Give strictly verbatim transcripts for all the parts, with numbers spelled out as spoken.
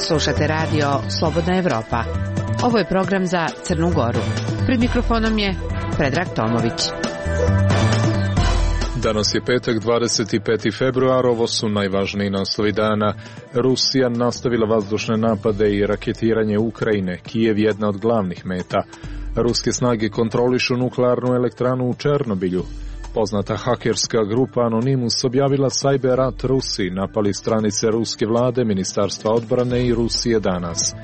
Slušate radio Slobodna Evropa. Ovo je program za Crnu Goru. Pred mikrofonom je Predrag Tomović. Danas je petak, dvadeset peti februar, ovo su najvažniji naslovi dana. Rusija nastavila vazdušne napade i raketiranje Ukrajine, Kijev jedna od glavnih meta. Ruske snage kontrolišu nuklearnu elektranu u Černobilju. Poznata hakerska grupa Anonymous objavila sajber rat Rusiji, napali stranice ruske vlade, Ministarstva odbrane i Rusije danas.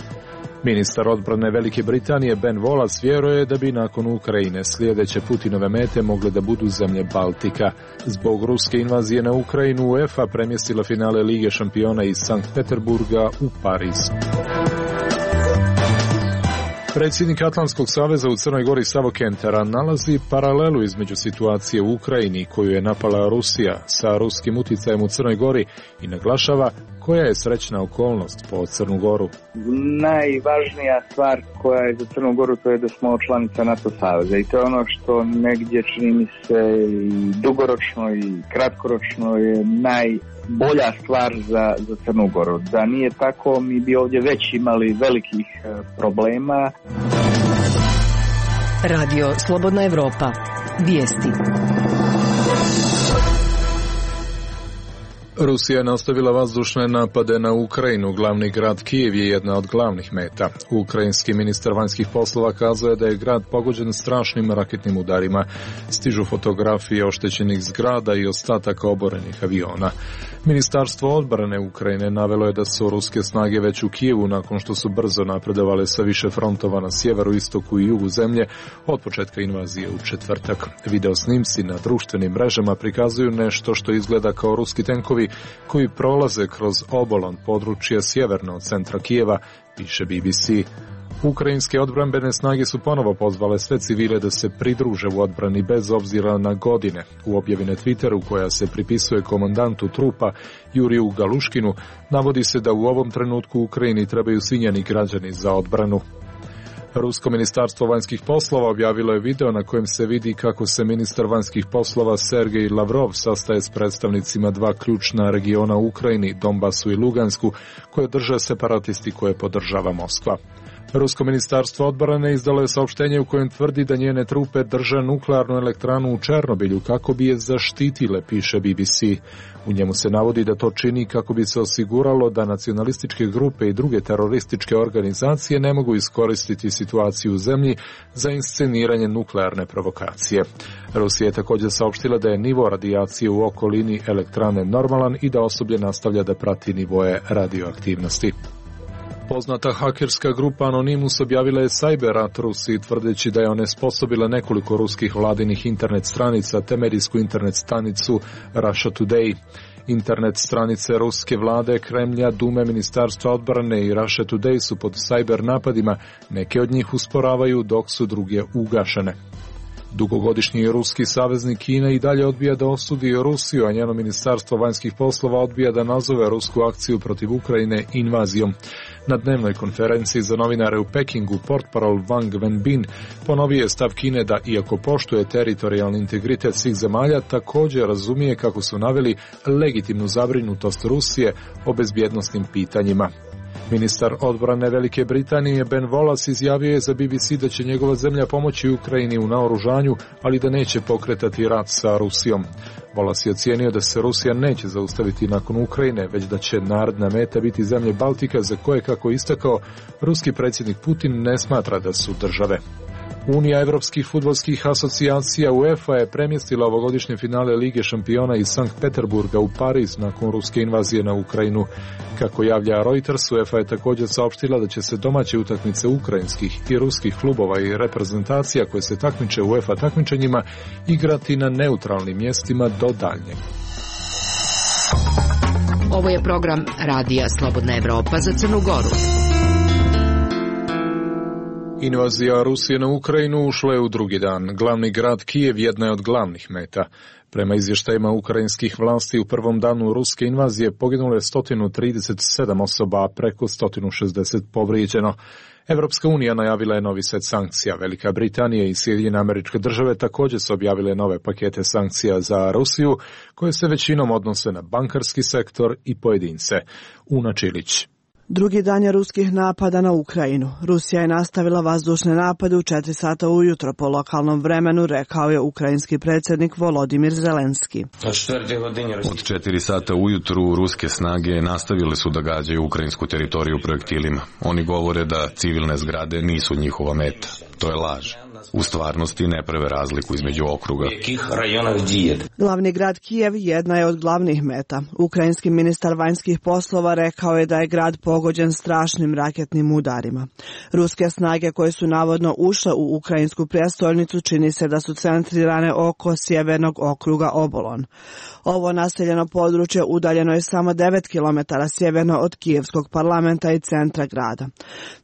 Ministar odbrane Velike Britanije Ben Wallace vjeruje da bi nakon Ukrajine sljedeće Putinove mete mogle da budu zemlje Baltika. Zbog ruske invazije na Ukrajinu UEFA premjestila finale Lige šampiona iz Sankt Peterburga u Pariz. Predsjednik Atlantskog saveza u Crnoj Gori Savo Kentera nalazi paralelu između situacije u Ukrajini koju je napala Rusija sa ruskim uticajem u Crnoj Gori i naglašava koja je srećna okolnost po Crnu Goru. Najvažnija stvar koja je za Crnu Goru to je da smo članica NATO saveza i to je ono što negdje čini mi se i dugoročno i kratkoročno je najbolja stvar za, za Crnu Goru. Da nije tako mi bi ovdje već imali velikih problema. Radio Slobodna Evropa. Vijesti. Rusija je nastavila vazdušne napade na Ukrajinu. Glavni grad Kijev je jedna od glavnih meta. Ukrajinski ministar vanjskih poslova kazao je da je grad pogođen strašnim raketnim udarima. Stižu fotografije oštećenih zgrada i ostataka oborenih aviona. Ministarstvo odbrane Ukrajine navelo je da su ruske snage već u Kijevu nakon što su brzo napredovale sa više frontova na sjeveru, istoku i jugu zemlje od početka invazije u četvrtak. Video snimci na društvenim mrežama prikazuju nešto što izgleda kao ruski tenkovi koji prolaze kroz obolan područja sjeverno od centra Kijeva, piše B B C. Ukrajinske odbrambene snage su ponovo pozvale sve civile da se pridruže u odbrani bez obzira na godine. U objavi na Twitteru koja se pripisuje komandantu trupa Juriju Galuškinu navodi se da u ovom trenutku u Ukrajini trebaju svi njeni građani za odbranu. Rusko ministarstvo vanjskih poslova objavilo je video na kojem se vidi kako se ministar vanjskih poslova Sergej Lavrov sastaje s predstavnicima dva ključna regiona u Ukrajini, Donbasu i Lugansku, koje drže separatisti koje podržava Moskva. Rusko ministarstvo odbrane izdalo je saopštenje u kojem tvrdi da njene trupe drže nuklearnu elektranu u Černobilju kako bi je zaštitile, piše B B C. U njemu se navodi da to čini kako bi se osiguralo da nacionalističke grupe i druge terorističke organizacije ne mogu iskoristiti situaciju u zemlji za insceniranje nuklearne provokacije. Rusija je također saopštila da je nivo radijacije u okolini elektrane normalan i da osoblje nastavlja da prati nivoje radioaktivnosti. Poznata hakerska grupa Anonymous objavila je sajber rat Rusiji tvrdeći da je onesposobila nekoliko ruskih vladinih internet stranica te medijsku internet stanicu Russia Today. Internet stranice ruske vlade, Kremlja, Dume, Ministarstva odbrane i Russia Today su pod sajber napadima, neke od njih usporavaju dok su druge ugašene. Dugogodišnji ruski saveznik Kina i dalje odbija da osudi Rusiju, a njeno ministarstvo vanjskih poslova odbija da nazove rusku akciju protiv Ukrajine invazijom. Na dnevnoj konferenciji za novinare u Pekingu portparol Wang Wenbin ponovio je stav Kine da, iako poštuje teritorijalni integritet svih zemalja, također razumije, kako su naveli, legitimnu zabrinutost Rusije o bezbjednosnim pitanjima. Ministar odbrane Velike Britanije Ben Wallace izjavio je za B B C da će njegova zemlja pomoći Ukrajini u naoružanju, ali da neće pokretati rat sa Rusijom. Wallace je ocijenio da se Rusija neće zaustaviti nakon Ukrajine, već da će naredna meta biti zemlje Baltika, za koje, kako istakao, ruski predsjednik Putin ne smatra da su države. Unija evropskih fudbalskih asocijacija UEFA je premjestila ovogodišnje finale Lige šampiona iz Sankt Peterburga u Pariz nakon ruske invazije na Ukrajinu. Kako javlja Reuters, UEFA je također saopštila da će se domaće utakmice ukrajinskih i ruskih klubova i reprezentacija koje se takmiče u UEFA takmičenjima igrati na neutralnim mjestima do daljnjeg. Ovo je program Radija Slobodna Evropa za Crnu Goru. Invazija Rusije na Ukrajinu ušla je u drugi dan. Glavni grad Kijev jedna je od glavnih meta. Prema izvještajima ukrajinskih vlasti u prvom danu ruske invazije poginulo je sto trideset sedam osoba, a preko sto šezdeset povrijeđeno. Evropska unija najavila je novi set sankcija. Velika Britanija i Sjedinjene Američke Države također su objavile nove pakete sankcija za Rusiju, koje se većinom odnose na bankarski sektor i pojedince. Una Čilić. Drugi dan je ruskih napada na Ukrajinu. Rusija je nastavila vazdušne napade u četiri sata ujutro po lokalnom vremenu, rekao je ukrajinski predsjednik Volodimir Zelenski. Od četiri sata ujutru ruske snage nastavile su da gađaju ukrajinsku teritoriju projektilima. Oni govore da civilne zgrade nisu njihova meta. To je laž. U stvarnosti ne prave razliku između okruga. Glavni grad Kijev jedna je od glavnih meta. Ukrajinski ministar vanjskih poslova rekao je da je grad pogođen strašnim raketnim udarima. Ruske snage koje su navodno ušle u ukrajinsku prijestolnicu čini se da su centrirane oko sjevernog okruga Obolon. Ovo naseljeno područje udaljeno je samo devet kilometara sjeverno od kijevskog parlamenta i centra grada.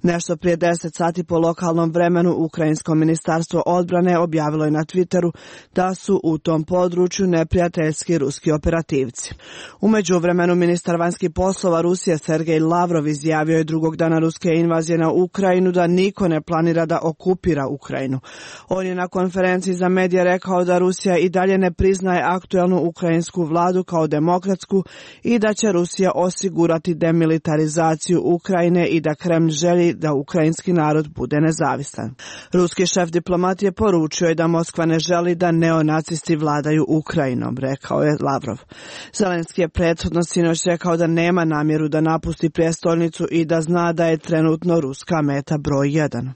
Nešto prije deset sati po lokalnom vremenu ukrajinsko ministarstvo odbrane objavilo je na Twitteru da su u tom području neprijateljski ruski operativci. U međuvremenu ministar vanjskih poslova Rusije Sergej Lavrov izjavio je drugog dana ruske invazije na Ukrajinu da niko ne planira da okupira Ukrajinu. On je na konferenciji za medije rekao da Rusija i dalje ne priznaje aktuelnu ukrajinsku vladu kao demokratsku i da će Rusija osigurati demilitarizaciju Ukrajine i da Kremlj želi da ukrajinski narod bude nezavisan. Ruski šef diplomatije poručio je da Moskva ne želi da neonacisti vladaju Ukrajinom, rekao je Lavrov. Zelenski je prethodno sinoć rekao da nema namjeru da napusti prijestolnicu i da zna da je trenutno ruska meta broj jedan.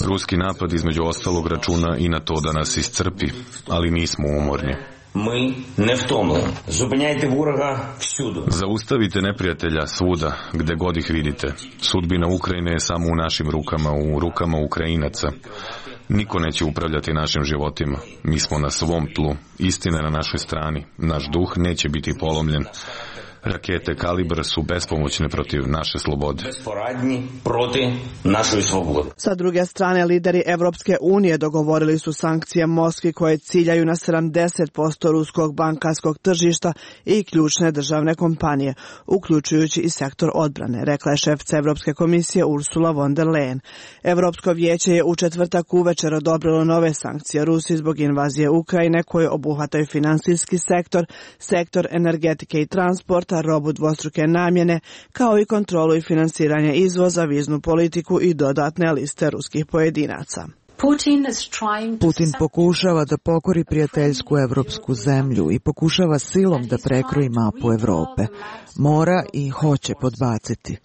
Ruski napad između ostalog računa i na to da nas iscrpi, ali nismo umorni. Ми не втомлені. Зупиняйте ворога всюди. Zaustavite neprijatelja svuda, gde god ih vidite. Sudbina Ukrajine je samo u našim rukama, u rukama Ukrajinaca. Niko neće upravljati našim životima. Mi smo na svom tlu. Istina je na našoj strani. Naš duh neće biti polomljen. Rakete Kalibr su bespomoćne protiv naše slobode. Безпорадні проти нашої свободи. Sa druge strane, lideri Evropske unije dogovorili su sankcije Moskvi koje ciljaju na sedamdeset posto ruskog bankarskog tržišta i ključne državne kompanije, uključujući i sektor odbrane, rekla je šefica Evropske komisije Ursula von der Leyen. Evropsko vijeće je u četvrtak uvečer odobrilo nove sankcije Rusiji zbog invazije Ukrajine koje obuhvataju finansijski sektor, sektor energetike i transporta, robu dvostruke namjene, kao i kontrolu i finansiranje izvoza, viznu politiku i dodatne liste ruskih pojedinaca. Putin pokušava da pokori prijateljsku evropsku zemlju i pokušava silom da prekroji mapu Evrope. Mora i hoće podbaciti.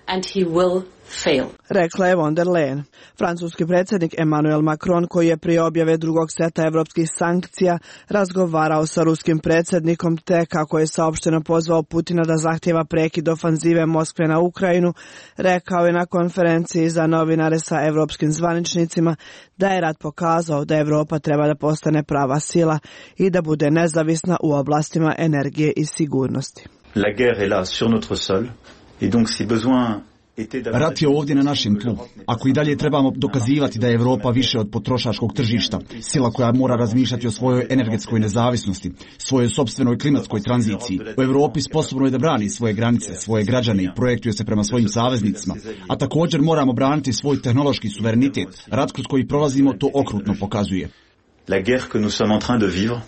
And he will fail. Rekla je von der Leyen. Francuski predsjednik Emmanuel Macron, koji je prije objave drugog seta evropskih sankcija razgovarao sa ruskim predsjednikom, te kako je saopšteno pozvao Putina da zahtjeva prekid ofanzive Moskve na Ukrajinu, rekao je na konferenciji za novinare sa evropskim zvaničnicima da je rat pokazao da Evropa treba da postane prava sila i da bude nezavisna u oblastima energije i sigurnosti. La guerre est là sur notre sol. Rat je ovdje na našem tlu. Ako i dalje trebamo dokazivati da je Evropa više od potrošačkog tržišta, sila koja mora razmišljati o svojoj energetskoj nezavisnosti, svojoj sopstvenoj klimatskoj tranziciji, u Evropi sposobno je da brani svoje granice, svoje građane i projektuje se prema svojim saveznicima, a također moramo braniti svoj tehnološki suverenitet. Rat kroz koji prolazimo to okrutno pokazuje. La guerre que nous sommes en train de vivre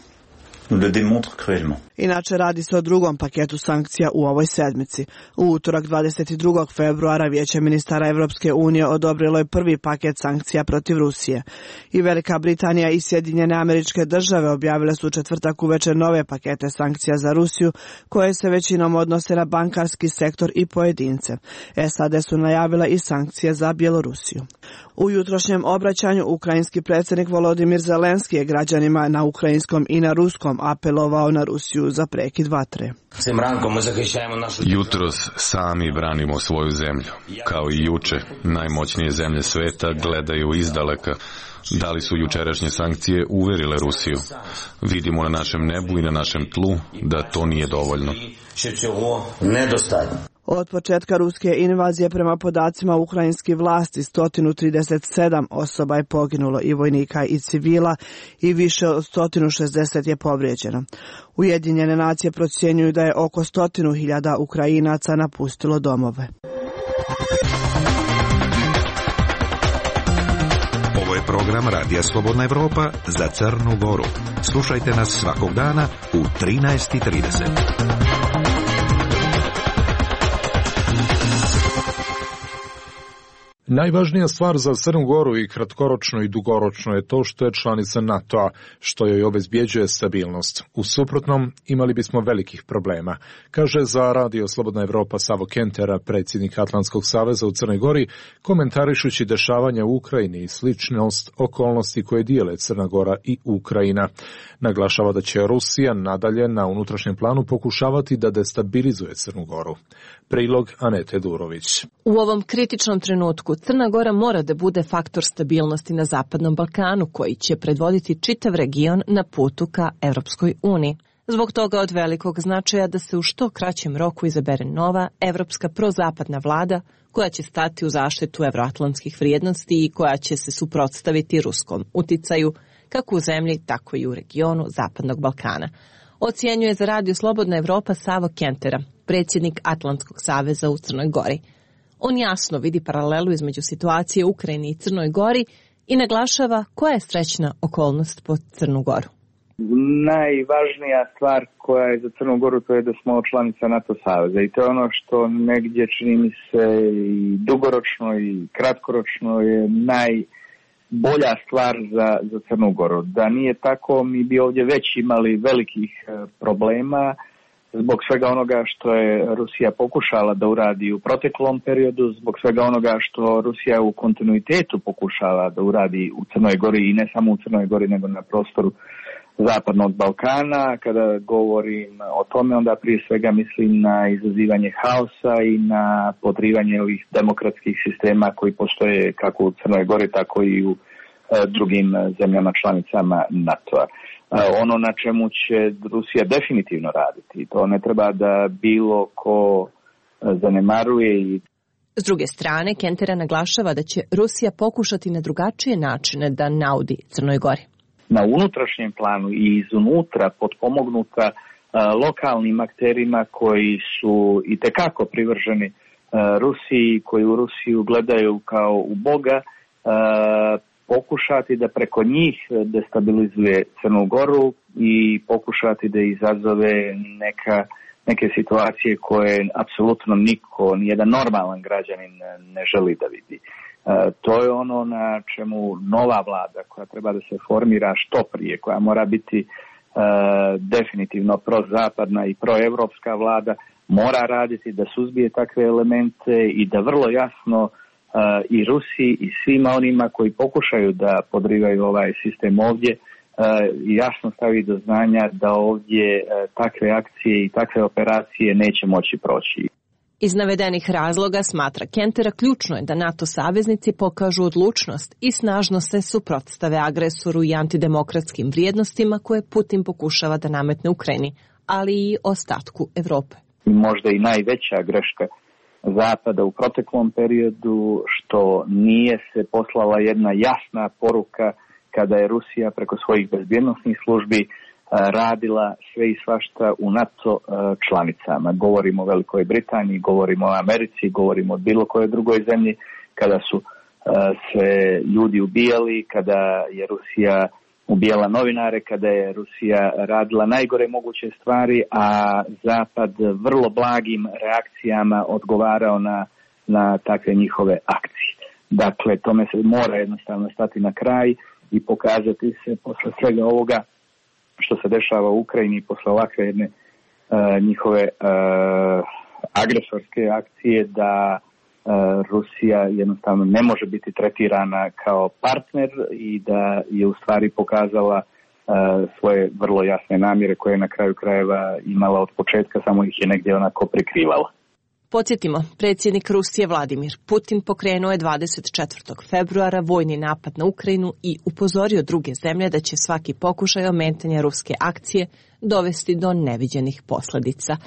nous le démontre cruellement. Inače, radi se o drugom paketu sankcija u ovoj sedmici. U utorak dvadeset drugog februara Vijeće ministara Evropske unije odobrilo je prvi paket sankcija protiv Rusije. I Velika Britanija i Sjedinjene Američke Države objavile su u četvrtak uvečer nove pakete sankcija za Rusiju, koje se većinom odnose na bankarski sektor i pojedince. S A D su najavile i sankcije za Bjelorusiju. U jutrošnjem obraćanju ukrajinski predsjednik Volodimir Zelenski je građanima na ukrajinskom i na ruskom apelovao na Rusiju za prekid vatre. Jutros sami branimo svoju zemlju. Kao i juče, najmoćnije zemlje sveta gledaju izdaleka. Da li su jučerašnje sankcije uverile Rusiju? Vidimo na našem nebu i na našem tlu da to nije dovoljno. Od početka ruske invazije prema podacima ukrajinskih vlasti sto trideset sedam osoba je poginulo i vojnika i civila i više od sto šezdeset je povrijeđeno. Ujedinjene nacije procjenjuju da je oko stotinu hiljada Ukrajinaca napustilo domove. Ovo je program Radija Slobodna Evropa za Crnu Goru. Slušajte nas svakog dana u trinaest i trideset. Najvažnija stvar za Crnu Goru i kratkoročno i dugoročno je to što je članica NATO-a, što joj obezbjeđuje stabilnost. U suprotnom, imali bismo velikih problema, kaže za Radio Slobodna Evropa Savo Kentera, predsjednik Atlantskog saveza u Crnoj Gori, komentarišući dešavanja u Ukrajini i sličnost okolnosti koje dijele Crna Gora i Ukrajina. Naglašava da će Rusija nadalje na unutrašnjem planu pokušavati da destabilizuje Crnu Goru. Prilog Anete Durović. U ovom kritičnom trenutku Crna Gora mora da bude faktor stabilnosti na Zapadnom Balkanu koji će predvoditi čitav region na putu ka Evropskoj uniji. Zbog toga od velikog značaja da se u što kraćem roku izabere nova evropska prozapadna vlada koja će stati u zaštitu evroatlantskih vrijednosti i koja će se suprotstaviti ruskom uticaju kako u zemlji, tako i u regionu Zapadnog Balkana. Ocijenjuje za Radio Slobodna Evropa Savo Kentera, predsjednik Atlantskog saveza u Crnoj Gori. On jasno vidi paralelu između situacije u Ukrajini i Crnoj Gori i naglašava koja je srećna okolnost po Crnu Goru. Najvažnija stvar koja je za Crnu Goru to je da smo članica NATO saveza i to je ono što negdje čini mi se i dugoročno i kratkoročno je najbolja stvar za, za Crnu Goru. Da nije tako, mi bi ovdje već imali velikih problema zbog svega onoga što je Rusija pokušala da uradi u proteklom periodu, zbog svega onoga što Rusija u kontinuitetu pokušala da uradi u Crnoj Gori i ne samo u Crnoj Gori nego na prostoru Zapadnog Balkana. Kada govorim o tome, onda prije svega mislim na izazivanje haosa i na podrivanje ovih demokratskih sistema koji postoje kako u Crnoj Gori, tako i u e, drugim zemljama članicama NATO-a. E, ono na čemu će Rusija definitivno raditi, to ne treba da bilo ko zanemaruje. I S druge strane, Kentera naglašava da će Rusija pokušati na drugačije načine da naudi Crnoj Gori. Na unutrašnjem planu i izunutra potpomognuta uh, lokalnim akterima koji su itekako privrženi uh, Rusiji, koji u Rusiju gledaju kao u Boga, uh, pokušati da preko njih destabilizuje Crnu Goru i pokušati da izazove neka, neke situacije koje apsolutno niko, nijedan normalan građanin ne želi da vidi. E, to je ono na čemu nova vlada koja treba da se formira što prije, koja mora biti e, definitivno prozapadna i proevropska vlada, mora raditi da suzbije takve elemente i da vrlo jasno e, i Rusiji i svima onima koji pokušaju da podrivaju ovaj sistem ovdje e, jasno stavi do znanja da ovdje e, takve akcije i takve operacije neće moći proći. Iz navedenih razloga, smatra Kentera, ključno je da NATO saveznici pokažu odlučnost i snažno se suprotstave agresoru i antidemokratskim vrijednostima koje Putin pokušava da nametne Ukrajini, ali i ostatku Evrope. Možda i najveća greška Zapada u proteklom periodu što nije se poslala jedna jasna poruka kada je Rusija preko svojih bezbjednosnih službi radila sve i svašta u NATO članicama. Govorimo o Velikoj Britaniji, govorimo o Americi, govorimo o bilo kojoj drugoj zemlji, kada su se ljudi ubijali, kada je Rusija ubijala novinare, kada je Rusija radila najgore moguće stvari, a Zapad vrlo blagim reakcijama odgovarao na, na takve njihove akcije. Dakle, tome se mora jednostavno stati na kraj i pokazati se posle svega ovoga što se dešava u Ukrajini posle ovakve jedne uh, njihove uh, agresorske akcije, da uh, Rusija jednostavno ne može biti tretirana kao partner i da je u stvari pokazala uh, svoje vrlo jasne namjere koje je na kraju krajeva imala od početka, samo ih je negdje onako prikrivala. Podsjetimo, predsjednik Rusije Vladimir Putin pokrenuo je dvadeset četvrtog februara vojni napad na Ukrajinu i upozorio druge zemlje da će svaki pokušaj ometanja ruske akcije dovesti do neviđenih posljedica.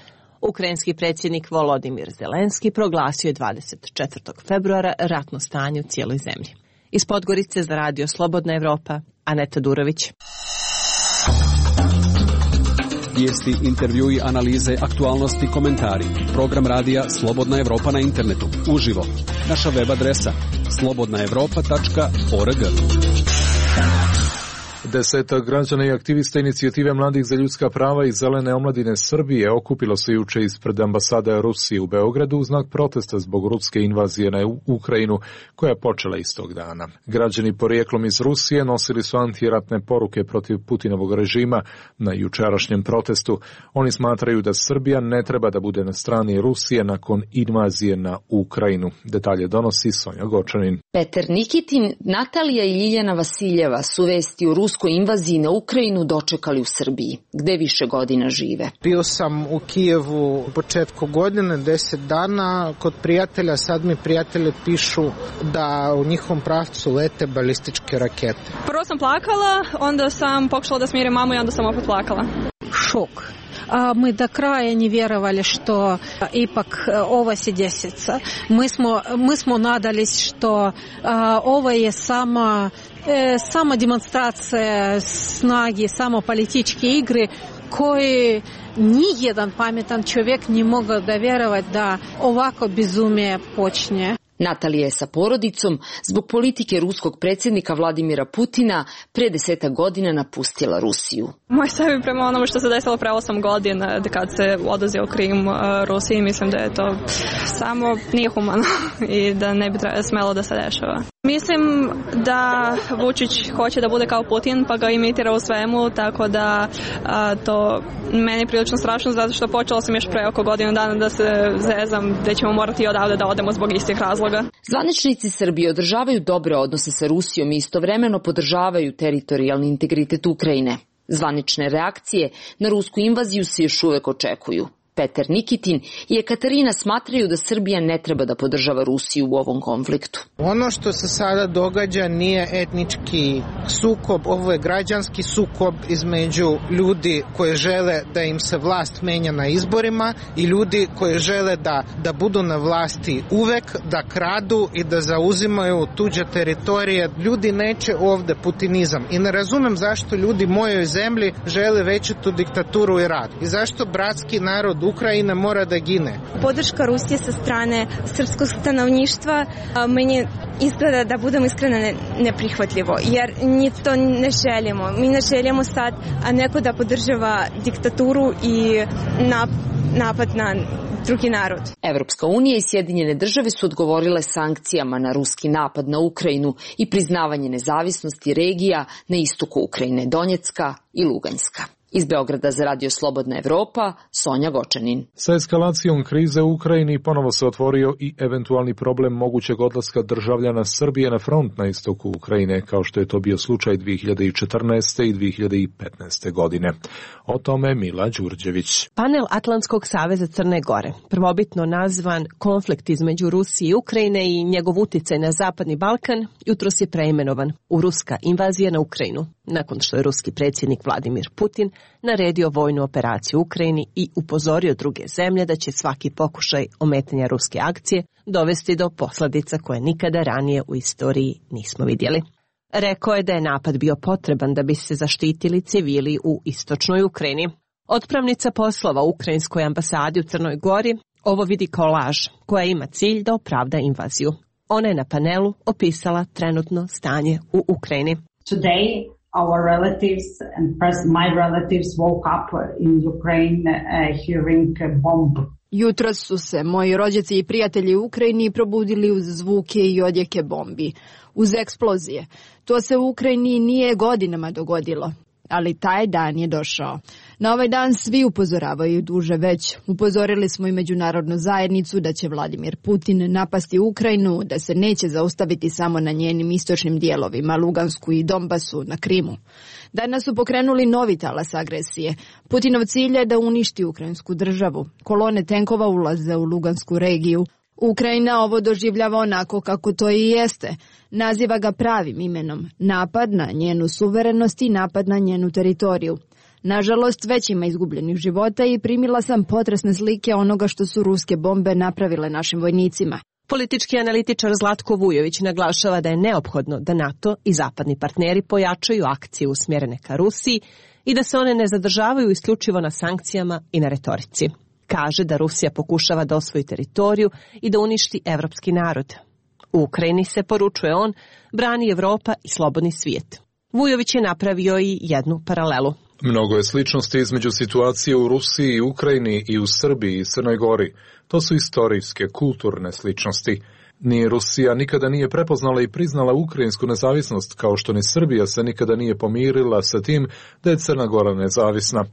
Ukrajinski predsjednik Volodimir Zelenski proglasio je dvadeset četvrtog februara ratno stanje u cijeloj zemlji. Iz Podgorice za Radio Slobodna Evropa, Aneta Durović. Vijesti, intervjui, analize, aktualnosti, komentari. Program radija Slobodna Evropa na internetu. Uživo. Naša web adresa slobodna evropa tačka org. Desetak građana i aktivista inicijative Mladih za ljudska prava i Zelene omladine Srbije okupilo se juče ispred ambasade Rusije u Beogradu u znak protesta zbog ruske invazije na Ukrajinu koja je počela istog dana. Građani porijeklom iz Rusije nosili su antiratne poruke protiv Putinovog režima na jučerašnjem protestu. Oni smatraju da Srbija ne treba da bude na strani Rusije nakon invazije na Ukrajinu. Detalje donosi Sonja Gočanin. Petar Nikitin, Natalija i Ljiljana Vasiljeva su vesti o ruskoj invaziji na Ukrajinu dočekali u Srbiji, gde više godina žive. Bio sam u Kijevu u početku godine, deset dana, kod prijatelja. Sad mi prijatelji pišu da u njihovom pravcu lete balističke rakete. Prvo sam plakala, onda sam pokušala da smirim mamu i onda sam opet plakala. Šok. Мы до края не веровали, что ипак ovo se desится. Мы smo, мы smo nadались, što ovo je sama, sama demonstracija snage, samo političke igre koje nijedan pametan čovjek ne mogao da vjerovati da ovako bezumje počne. Natalija je sa porodicom zbog politike ruskog predsjednika Vladimira Putina pre desetak godina napustila Rusiju. Moj stav je prema onome što se desilo pre osam godina kad se oduzeo Krim Rusiji, mislim da je to samo nije humano i da ne bi smelo da se dešava. Mislim da Vučić hoće da bude kao Putin pa ga imitira u svemu, tako da a, to meni je prilično strašno zato što počela sam još pre oko godinu dana da se zezam da ćemo morati odavde da odemo zbog istih razloga. Zvaničnici Srbije održavaju dobre odnose sa Rusijom i istovremeno podržavaju teritorijalni integritet Ukrajine. Zvanične reakcije na rusku invaziju se još uvek očekuju. Petar Nikitin i Katarina smatraju da Srbija ne treba da podržava Rusiju u ovom konfliktu. Ono što se sada događa nije etnički sukob, ovo je građanski sukob između ljudi koji žele da im se vlast menja na izborima i ljudi koji žele da, da budu na vlasti uvek, da kradu i da zauzimaju tuđe teritorije. Ljudi neće ovde putinizam i ne razumem zašto ljudi u mojoj zemlji žele veću diktaturu i rad i zašto bratski narod Ukrajina mora da gine. Podrška Rusije sa strane srpskog stanovništva meni izgleda, da budemo iskreno, neprihvatljivo, jer ni to ne želimo. Mi ne želimo sad a neko da podržava diktaturu i napad na drugi narod. Evropska unija i Sjedinjene države su odgovorile sankcijama na ruski napad na Ukrajinu i priznavanje nezavisnosti regija na istoku Ukrajine, Donjecka i Luganjska. Iz Beograda za Radio Slobodna Evropa, Sonja Gočanin. Sa eskalacijom krize u Ukrajini ponovo se otvorio i eventualni problem mogućeg odlaska državljana Srbije na front na istoku Ukrajine, kao što je to bio slučaj dvije hiljade četrnaeste. i dvije hiljade petnaeste. godine. O tome Mila Đurđević. Panel Atlantskog saveza Crne Gore, prvobitno nazvan konflikt između Rusije i Ukrajine i njegov uticaj na Zapadni Balkan, jutros je preimenovan u ruska invazija na Ukrajinu, nakon što je ruski predsjednik Vladimir Putin naredio vojnu operaciju u Ukrajini i upozorio druge zemlje da će svaki pokušaj ometanja ruske akcije dovesti do posljedica koje nikada ranije u istoriji nismo vidjeli. Rekao je da je napad bio potreban da bi se zaštitili civili u istočnoj Ukrajini. Otpravnica poslova u Ukrajinskoj ambasadi u Crnoj Gori ovo vidi kao laž koja ima cilj da opravda invaziju. Ona je na panelu opisala trenutno stanje u Ukrajini. Today our relatives and my relatives woke up in Ukraine uh, hearing a bomb. Jutros su se moji rođaci i prijatelji u Ukrajini probudili uz zvuke i odjeke bombi, uz eksplozije. To se u Ukrajini nije godinama dogodilo, ali taj dan je došao. Na ovaj dan svi upozoravaju duže već. Upozorili smo i međunarodnu zajednicu da će Vladimir Putin napasti Ukrajinu, da se neće zaustaviti samo na njenim istočnim dijelovima, Lugansku i Donbasu, na Krimu. Danas su pokrenuli novi talas agresije. Putinov cilj je da uništi ukrajinsku državu. Kolone tenkova ulaze u Lugansku regiju. Ukrajina ovo doživljava onako kako to i jeste. Naziva ga pravim imenom. Napad na njenu suverenost i napad na njenu teritoriju. Nažalost, već ima izgubljenih života i primila sam potresne slike onoga što su ruske bombe napravile našim vojnicima. Politički analitičar Zlatko Vujović naglašava da je neophodno da NATO i zapadni partneri pojačaju akcije usmjerene ka Rusiji i da se one ne zadržavaju isključivo na sankcijama i na retorici. Kaže da Rusija pokušava da osvoji teritoriju i da uništi evropski narod. U Ukrajini se, poručuje on, brani Evropa i slobodni svijet. Vujović je napravio i jednu paralelu. Mnogo je sličnosti između situacije u Rusiji i Ukrajini i u Srbiji i Crnoj Gori. To su istorijske, kulturne sličnosti. Ni Rusija nikada nije prepoznala i priznala ukrajinsku nezavisnost, kao što ni Srbija se nikada nije pomirila sa tim da je Crna Gora nezavisna.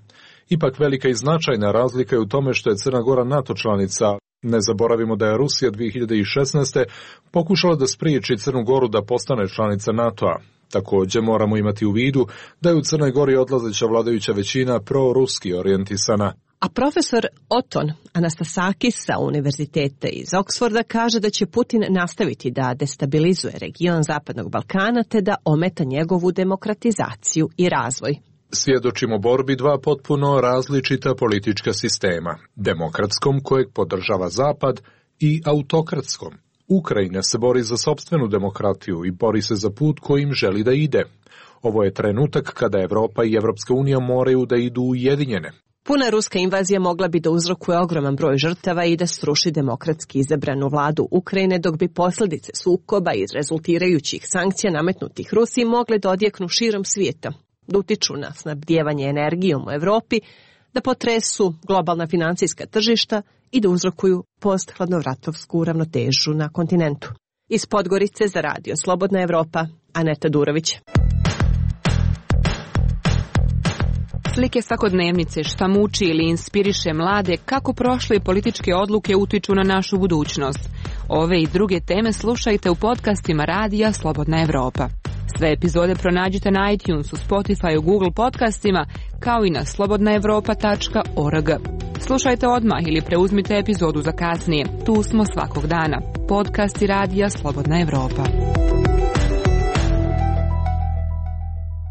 Ipak velika i značajna razlika je u tome što je Crna Gora NATO članica. Ne zaboravimo da je Rusija dvije hiljade šesnaeste. pokušala da spriječi Crnu Goru da postane članica NATO-a. Također moramo imati u vidu da je u Crnoj Gori odlazeća vladajuća većina proruski orijentisana. A profesor Oton Anastasakis sa univerziteta iz Oksforda kaže da će Putin nastaviti da destabilizuje region Zapadnog Balkana te da ometa njegovu demokratizaciju i razvoj. Svjedočimo borbi dva potpuno različita politička sistema, demokratskom kojeg podržava Zapad i autokratskom. Ukrajina se bori za sopstvenu demokratiju i bori se za put kojim želi da ide. Ovo je trenutak kada Evropa i Evropska unija moraju da idu ujedinjene. Puna ruska invazija mogla bi da uzrokuje ogroman broj žrtava i da sruši demokratski izabranu vladu Ukrajine, dok bi posljedice sukoba iz rezultirajućih sankcija nametnutih Rusiji mogle da odjeknu širom svijeta, da utiču na snabdijevanje energijom u Evropi, da potresu globalna financijska tržišta i da uzrokuju post-hladnovratovsku ravnotežu na kontinentu. Iz Podgorice za radio Slobodna Evropa, Aneta Durović. Slike svakodnevnice, šta muči ili inspiriše mlade, kako prošle političke odluke utiču na našu budućnost. Ove i druge teme slušajte u podcastima radija Slobodna Evropa. Sve epizode pronađite na iTunesu, Spotify, Google podcastima, kao i na slobodna evropa tačka org. Slušajte odmah ili preuzmite epizodu za kasnije. Tu smo svakog dana. Podcasti radija Slobodna Evropa.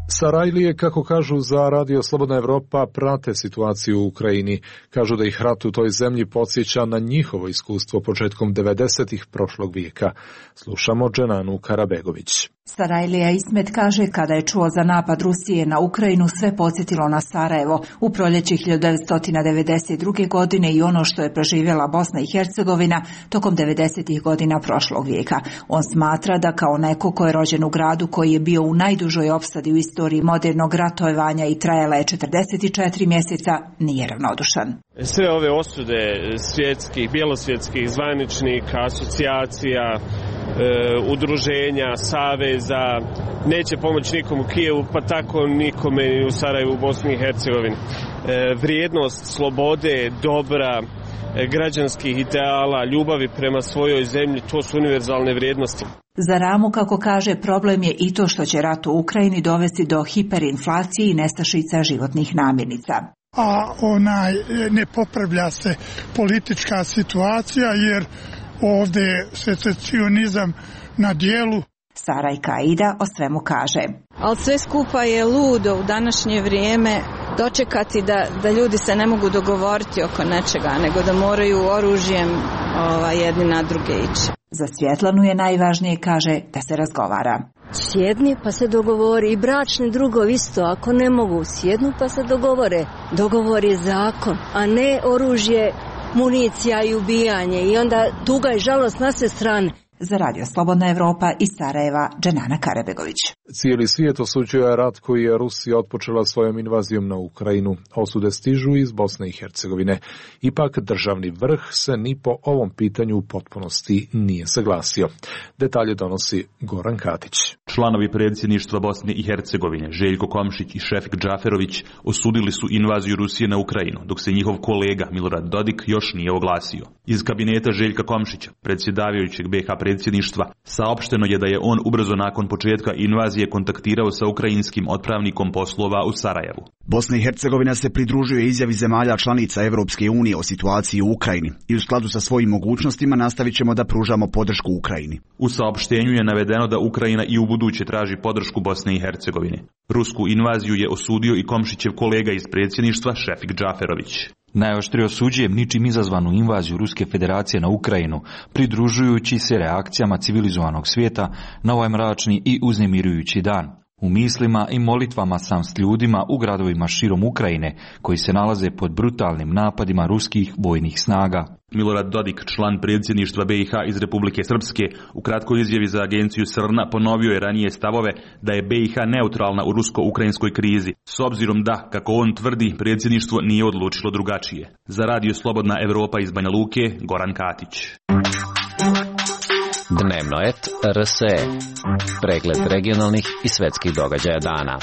Sarajlije, kako kažu za radio Slobodna Evropa, prate situaciju u Ukrajini. Kažu da ih rat u toj zemlji podsjeća na njihovo iskustvo početkom devedesetih prošlog vijeka. Slušamo Dženanu Karabegović. Sarajlija Ismet kaže kada je čuo za napad Rusije na Ukrajinu sve podsjetilo na Sarajevo u proljeće hiljadu devetsto devedeset druge. godine i ono što je preživjela Bosna i Hercegovina tokom devedesetih godina prošlog vijeka. On smatra da kao neko ko je rođen u gradu koji je bio u najdužoj opsadi u istoriji modernog ratovanja i trajala je četrdeset četiri mjeseca, nije ravnodušan. Sve ove osude svjetskih, bjelosvjetskih zvaničnika, asocijacija, E, udruženja, saveza, neće pomoći nikom u Kijevu, pa tako nikome u Sarajevu, u Bosni i Hercegovini. E, vrijednost slobode, dobra, e, građanskih ideala, ljubavi prema svojoj zemlji, to su univerzalne vrijednosti. Za Ramu, kako kaže, problem je i to što će rat u Ukrajini dovesti do hiperinflacije i nestašica životnih namirnica. A onaj, ne popravlja se politička situacija jer ovdje je secesionizam na dijelu. Sarajka Aida o svemu kaže. Ali sve skupa je ludo u današnje vrijeme dočekati da, da ljudi se ne mogu dogovoriti oko nečega, nego da moraju oružjem ovaj, jedni na druge ići. Za Svjetlanu je najvažnije, kaže, da se razgovara. Sjedni pa se dogovori i bračni drugovi isto, ako ne mogu sjednu pa se dogovore. Dogovor je zakon, a ne oružje, municija i ubijanje i onda tuga i žalost na sve strane. Za radio Slobodna Evropa iz Sarajeva, Dženana Karabegović. Cijeli svijet osuđuje rat koji je Rusija otpočela svojom invazijom na Ukrajinu. Osude stižu iz Bosne i Hercegovine. Ipak državni vrh se ni po ovom pitanju u potpunosti nije saglasio. Detalje donosi Goran Katić. Članovi predsjedništva Bosne i Hercegovine, Željko Komšić i Šefik Džaferović, osudili su invaziju Rusije na Ukrajinu, dok se njihov kolega Milorad Dodik još nije oglasio. Iz kabineta Željka Komšića, predsjedavajućeg be ha predsjedništva, saopšteno je da je on ubrzo nakon početka invazije kontaktirao sa ukrajinskim otpravnikom poslova u Sarajevu. Bosna i Hercegovina se pridružuje izjavi zemalja članica Evropske unije o situaciji u Ukrajini i u skladu sa svojim mogućnostima nastavit ćemo da pružamo podršku Ukrajini. U saopštenju je navedeno da Ukrajina i u buduće traži podršku Bosne i Hercegovine. Rusku invaziju je osudio i Komšićev kolega iz predsjedništva Šefik Džaferović. Najoštrije osuđujem ničim izazvanu invaziju Ruske federacije na Ukrajinu, pridružujući se reakcijama civilizovanog svijeta na ovaj mračni i uznemirujući dan. U mislima i molitvama sam s ljudima u gradovima širom Ukrajine koji se nalaze pod brutalnim napadima ruskih vojnih snaga. Milorad Dodik, član predsjedništva B i H iz Republike Srpske, u kratkoj izjavi za agenciju Srna ponovio je ranije stavove da je B i H neutralna u rusko-ukrajinskoj krizi, s obzirom da, kako on tvrdi, predsjedništvo nije odlučilo drugačije. Za Radio Slobodna Evropa iz Banja Luke, Goran Katić. Dnevno et R S E. Pregled regionalnih i svetskih događaja dana.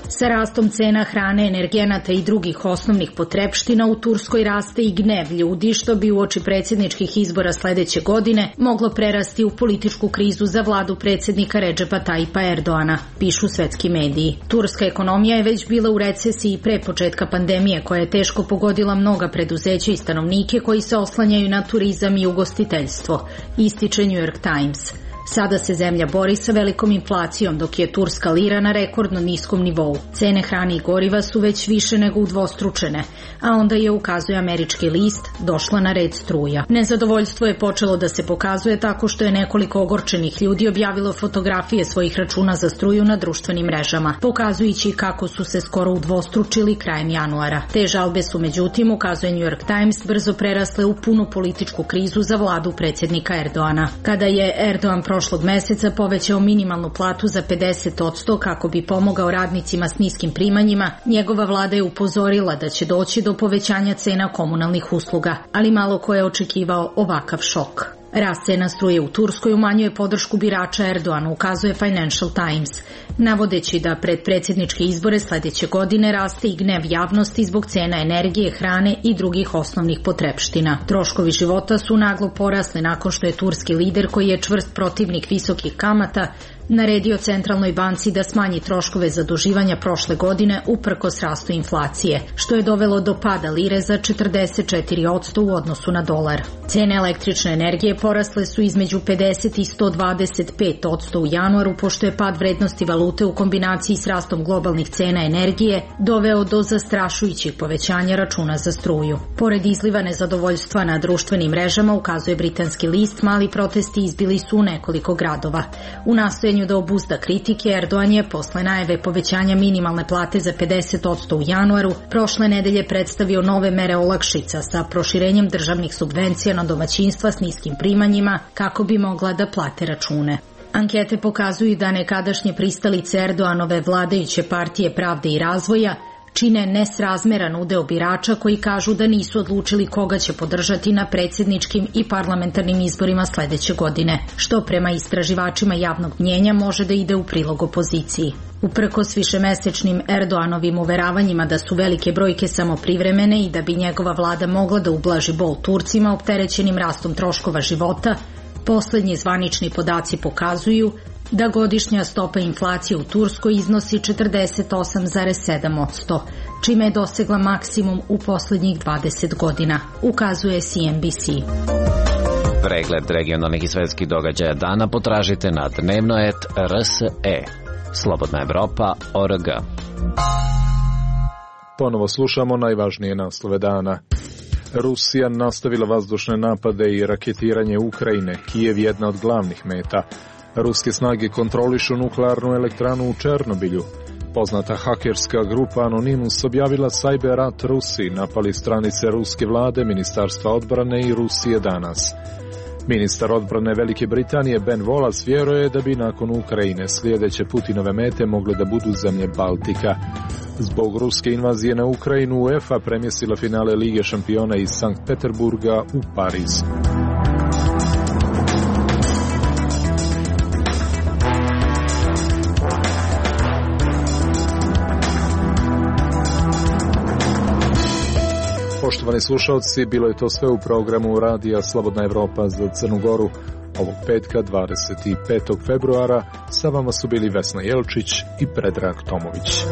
Sa rastom cena hrane, energenata i drugih osnovnih potrepština u Turskoj raste i gnev ljudi, što bi uoči predsjedničkih izbora sledeće godine moglo prerasti u političku krizu za vladu predsjednika Redžepa Tajipa Erdoana, pišu svetski mediji. Turska ekonomija je već bila u recesiji pre početka pandemije, koja je teško pogodila mnoga preduzeća i stanovnike koji se oslanjaju na turizam i ugostiteljstvo, ističe New York Times. Sada se zemlja bori sa velikom inflacijom, dok je turska lira na rekordno niskom nivou. Cene hrane i goriva su već više nego udvostručene, a onda je, ukazuje američki list, došla na red struja. Nezadovoljstvo je počelo da se pokazuje tako što je nekoliko ogorčenih ljudi objavilo fotografije svojih računa za struju na društvenim mrežama, pokazujući kako su se skoro udvostručili krajem januara. Te žalbe su, međutim, ukazuje New York Times, brzo prerasle u punu političku krizu za vladu predsjednika Erdoana. Kada je Erdoan prošlog meseca povećao minimalnu platu za pedeset posto kako bi pomogao radnicima s niskim primanjima, njegova vlada je upozorila da će doći do povećanja cena komunalnih usluga, ali malo ko je očekivao ovakav šok. Rast cena struje u Turskoj umanjuje podršku birača Erdoana, ukazuje Financial Times, navodeći da pred predsjedničke izbore sledeće godine raste i gnev javnosti zbog cena energije, hrane i drugih osnovnih potrepština. Troškovi života su naglo porasli nakon što je turski lider, koji je čvrst protivnik visokih kamata, naredio centralnoj banci da smanji troškove zaduživanja prošle godine uprkos rastu inflacije, što je dovelo do pada lire za četrdeset četiri posto u odnosu na dolar. Cene električne energije porasle su između pedeset i sto dvadeset pet posto u januaru, pošto je pad vrednosti valute u kombinaciji s rastom globalnih cena energije doveo do zastrašujućih povećanja računa za struju. Pored izliva nezadovoljstva na društvenim mrežama, ukazuje britanski list, mali protesti izbili su u nekoliko gradova. U nastojanju da obuzda kritike, Erdoan je posle najave povećanja minimalne plate za pedeset posto u januaru prošle nedelje predstavio nove mere olakšica sa proširenjem državnih subvencija na domaćinstva s niskim primanjima kako bi mogla da plate račune. Ankete pokazuju da nekadašnje pristalice Erdoanove vladajuće partije Pravde i razvoja čine nesrazmeran udeo birača koji kažu da nisu odlučili koga će podržati na predsjedničkim i parlamentarnim izborima sledeće godine, što prema istraživačima javnog mnjenja može da ide u prilog opoziciji. Uprkos višemesečnim Erdoanovim uveravanjima da su velike brojke samo privremene i da bi njegova vlada mogla da ublaži bol Turcima opterećenim rastom troškova života, poslednji zvanični podaci pokazuju da godišnja stopa inflacije u Turskoj iznosi četrdeset osam zarez sedam posto, čime je dosegla maksimum u poslednjih dvadeset godina, ukazuje C N B C. Pregled regionalnih i svetskih događaja dana potražite na dnevno et R S E. Slobodna Evropa точка org. Ponovo slušamo najvažnije naslove dana. Rusija nastavila vazdušne napade i raketiranje Ukrajine. Kijev je jedna od glavnih meta. Ruske snage kontrolišu nuklearnu elektranu u Černobilju. Poznata hakerska grupa Anonymous objavila cyber rat Rusiji, napali stranice ruske vlade, Ministarstva odbrane i Rusije danas. Ministar odbrane Velike Britanije Ben Wallace vjeruje da bi nakon Ukrajine sljedeće Putinove mete mogle da budu zemlje Baltika. Zbog ruske invazije na Ukrajinu, UEFA premjestila finale Lige šampiona iz Sankt Peterburga u Pariz. Poštovani slušalci, bilo je to sve u programu Radija Slobodna Evropa za Crnu Goru. Ovog petka, dvadeset petog februara, sa vama su bili Vesna Jelčić i Predrag Tomović.